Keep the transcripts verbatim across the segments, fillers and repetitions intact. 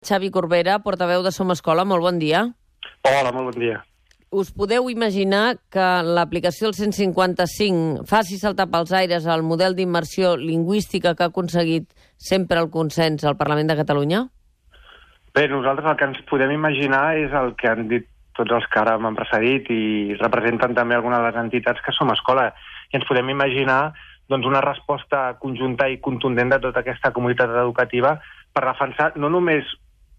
Xavi Corbera, portaveu de Som Escola, molt bon dia. Hola, molt bon dia. Us podeu imaginar que l'aplicació del cent cinquanta-cinc faci saltar pels aires el model d'immersió lingüística que ha aconseguit sempre el consens al Parlament de Catalunya? Bé, nosaltres el que ens podem imaginar és el que han dit tots els que ara m'han precedit i representen també algunes de les entitats que Som Escola. I ens podem imaginar doncs, una resposta conjunta i contundent de tota aquesta comunitat educativa per defensar no només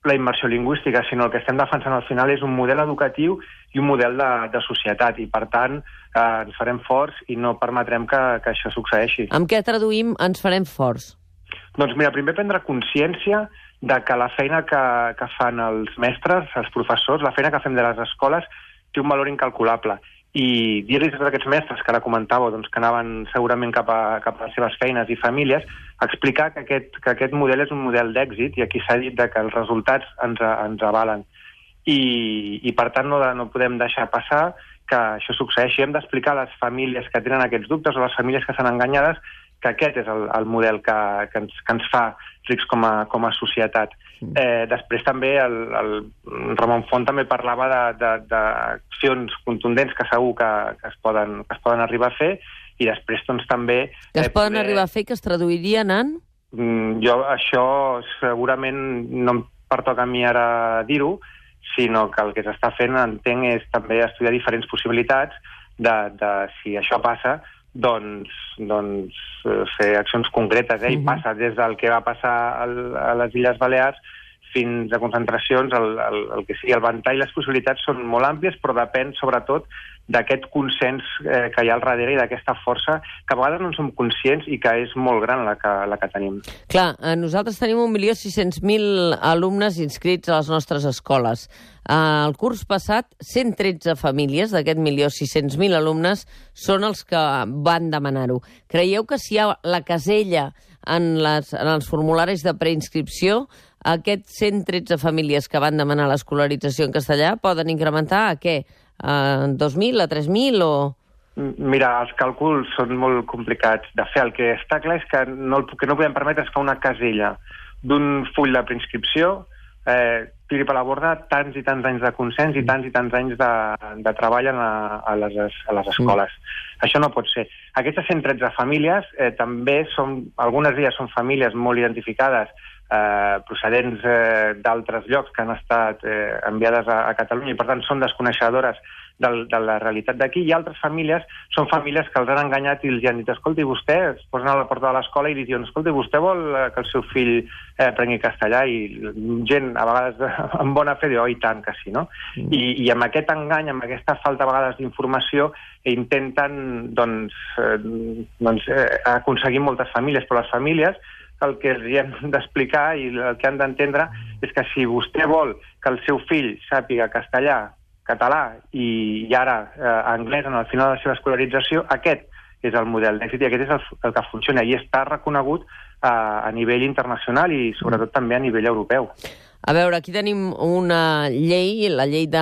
la immersió lingüística, sinó el que estem defensant al final és un model educatiu i un model de, de societat, i per tant eh, ens farem forts i no permetrem que, que això succeeixi. Amb què traduïm ens farem forts? Doncs mira, primer prendre consciència de que la feina que, que fan els mestres, els professors, la feina que fem de les escoles té un valor incalculable. I dir-los a tots aquests mestres que ara comentàveu, doncs, que anaven segurament cap a, cap a les seves feines i famílies, explicar que aquest, que aquest model és un model d'èxit i aquí s'ha dit de que els resultats ens, ens avalen. I, i per tant no, de, no podem deixar passar que això succeeixi. Hem d'explicar a les famílies que tenen aquests dubtes o a les famílies que estan enganyades que aquest és el, el model que, que, ens, que ens fa rics com a, com a societat. Eh, després també el, el Ramon Font també parlava d'accions contundents que segur que, que, es poden, que es poden arribar a fer, i després doncs, també... Que es eh, poden poder... arribar a fer, que es traduirien en? Mm, jo això segurament no em pertoca a mi ara dir-ho, sinó que el que s'està fent, entenc, és també estudiar diferents possibilitats de, de si això passa, doncs, doncs fer accions concretes, eh? I passa des del que va passar al, a les Illes Balears fins a concentracions, el, el, el que sigui, el ventall i les possibilitats són molt àmplies, però depèn sobretot d'aquest consens eh, que hi ha al darrere i d'aquesta força que a vegades no en som conscients i que és molt gran la que, la que tenim. Clar, nosaltres tenim un milió sis-cents mil alumnes inscrits a les nostres escoles. El curs passat, cent tretze famílies d'aquest milió sis-cents mil alumnes són els que van demanar-ho. Creieu que si hi ha la casella en, les, en els formularis de preinscripció, aquests cent tretze famílies que van demanar l'escolarització en castellà poden incrementar a què? A dos mil, a tres mil o...? Mira, els càlculs són molt complicats de fer. El que està clar és que no, el que no podem permetre és que una casella d'un full de preinscripció eh, tiri per la borda tants i tants anys de consens i tants i tants anys de, de treball a, a, les, a les escoles. Mm. Això no pot ser. Aquestes cent tretze famílies eh, també són, algunes d'elles són famílies molt identificades, eh, procedents eh, d'altres llocs que han estat eh, enviades a, a Catalunya i per tant són desconeixedores de, de la realitat d'aquí, i altres famílies són famílies que els han enganyat i els han dit, escolti, vostè, es posen a la porta de l'escola i li diuen, escolti, vostè vol que el seu fill eh, prengui castellà, i gent a vegades amb bona fe diu, oh, i tant que sí, no? Mm. I, I amb aquest engany, amb aquesta falta a vegades d'informació, intenten doncs, eh, doncs, eh, aconseguir moltes famílies, però les famílies el que els hem d'explicar i el que han d'entendre és que si vostè vol que el seu fill sàpiga castellà, català i, i ara eh, anglès en el final de la seva escolarització, aquest és el model d'èxit i aquest és el, el que funciona i està reconegut eh, a nivell internacional i sobretot també a nivell europeu. A veure, aquí tenim una llei, la llei de,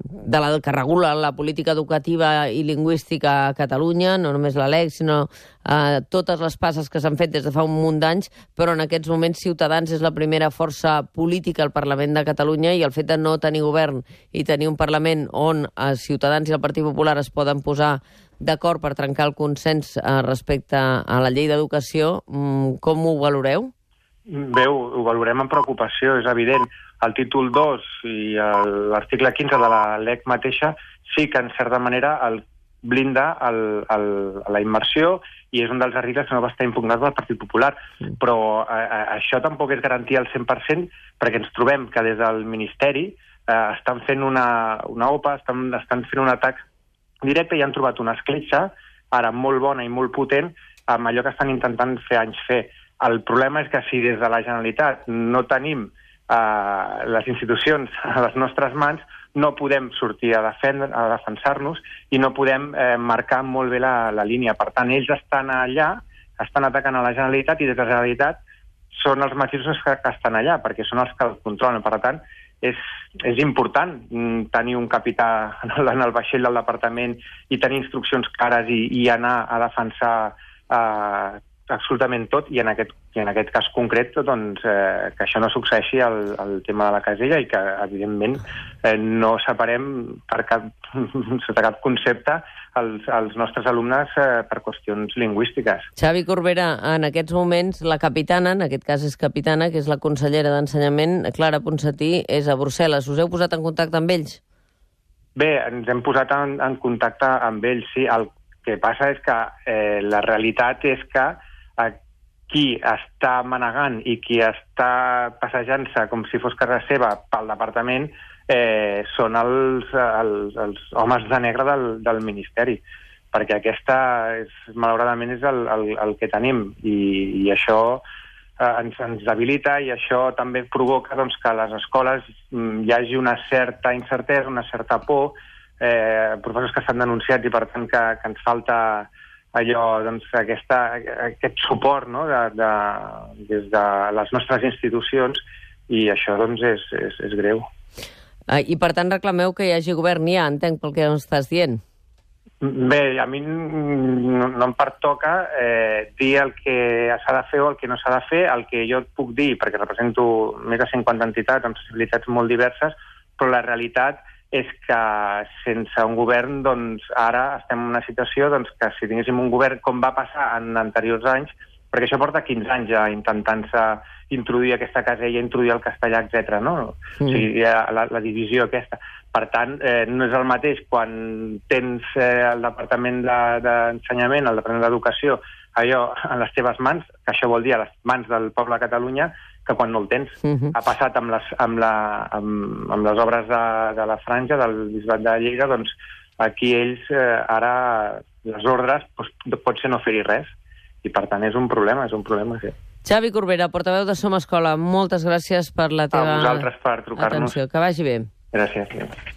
de la que regula la política educativa i lingüística a Catalunya, no només la L E C, sinó eh, totes les passes que s'han fet des de fa un munt d'anys, però en aquests moments Ciutadans és la primera força política al Parlament de Catalunya i el fet de no tenir govern i tenir un Parlament on eh, Ciutadans i el Partit Popular es poden posar d'acord per trencar el consens eh, respecte a la llei d'educació, com ho valoreu? Bé, ho, ho valorem amb preocupació, és evident. El títol dos i l'article quinze de la L E C mateixa sí que, en certa manera, el blinda el, el, la immersió i és un dels articles que no va estar impugnat pel Partit Popular. Mm. Però a, a, això tampoc és garantia al cent per cent perquè ens trobem que des del Ministeri eh, estan fent una, una O P A, estan, estan fent un atac directe i han trobat una escletxa, ara molt bona i molt potent, amb allò que estan intentant fer anys fer. El problema és que si des de la Generalitat no tenim eh, les institucions a les nostres mans, no podem sortir a, defendre, a defensar-nos i no podem eh, marcar molt bé la, la línia. Per tant, ells estan allà, estan atacant a la Generalitat i des de la Generalitat són els mateixos que, que estan allà, perquè són els que el controlen. Per tant, és, és important tenir un capità en el, en el vaixell del departament i tenir instruccions clares i, i anar a defensar eh, absolutament tot, i en aquest, i en aquest cas concret doncs, eh, que això no succeeixi al, al tema de la casella i que, evidentment, eh, no separem per cap, sota cap concepte els, els nostres alumnes eh, per qüestions lingüístiques. Xavi Corbera, en aquests moments la capitana, en aquest cas és capitana, que és la consellera d'Ensenyament, Clara Ponsatí, és a Brussel·les. Us heu posat en contacte amb ells? Bé, ens hem posat en, en contacte amb ells, sí. El que passa és que eh, la realitat és que eh, qui està manegant i qui està passejant-se com si fos casa seva pel departament eh, són els, els, els homes de negre del, del Ministeri, perquè aquesta, és, malauradament, és el, el, el que tenim, i, i això eh, ens, ens debilita, i això també provoca doncs, que a les escoles mm, hi hagi una certa incertesa, una certa por, eh, professors que estan denunciats, i per tant que, que ens falta allò, doncs, aquesta, aquest suport, no?, de, de, des de les nostres institucions, i això doncs, és, és, és greu. Ah, I per tant reclameu que hi hagi govern ja, entenc pel que estàs dient. Bé, a mi no, no em pertoca eh, dir el que s'ha de fer o el que no s'ha de fer. El que jo et puc dir, perquè represento més de cinquanta entitats amb sensibilitats molt diverses, però la realitat és que sense un govern, doncs, ara estem en una situació doncs, que si tinguéssim un govern com va passar en anteriors anys, perquè això porta quinze anys ja intentant-se introduir aquesta casella, introduir el castellà, etcètera, no? Mm. O sigui, la, la divisió aquesta. Per tant, eh, no és el mateix quan tens eh, el Departament d'Ensenyament, de, el Departament d'Educació, allò a les teves mans, que això vol dir a les mans del poble de Catalunya, que quan no el tens. Uh-huh. Ha passat amb les, amb la, amb, amb les obres de, de la Franja, del Bisbat de Lleida, doncs aquí ells eh, ara les ordres doncs, pot ser no fer-hi res, i per tant és un problema, és un problema, sí. Xavi Corbera, portaveu de Som Escola, moltes gràcies per la teva a vosaltres per trucar-nos. atenció. Que vagi bé. Gràcies.